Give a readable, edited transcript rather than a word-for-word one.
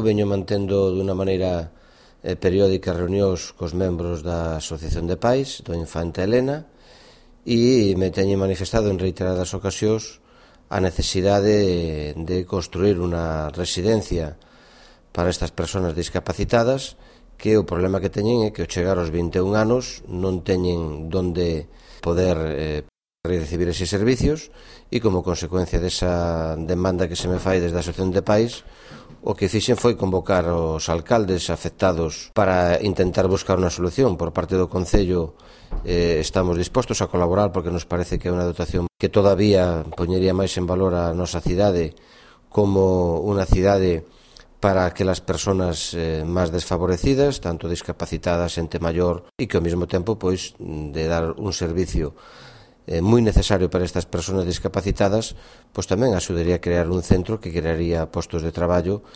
veño mantendo dunha maneira periódica reunións cos membros da Asociación de Pais do Infante Elena e me teñen manifestado en reiteradas ocasións a necesidade de construir unha residencia para estas persoas discapacitadas, que o problema que teñen é que ao chegar aos 21 anos non teñen donde poder recibir eses servicios e como consecuencia desa demanda que se me fai desde a Asociación de Pais, o que fixen foi convocar os alcaldes afectados para intentar buscar unha solución. Por parte do Concello estamos dispostos a colaborar porque nos parece que é unha dotación que todavía poñería máis en valor a nosa cidade como unha cidade para aquelas persoas máis desfavorecidas, tanto discapacitadas, xente maior, e que ao mesmo tempo pois de dar un servicio moi necesario para estas persoas discapacitadas, pois tamén axudaría a crear un centro que crearía postos de traballo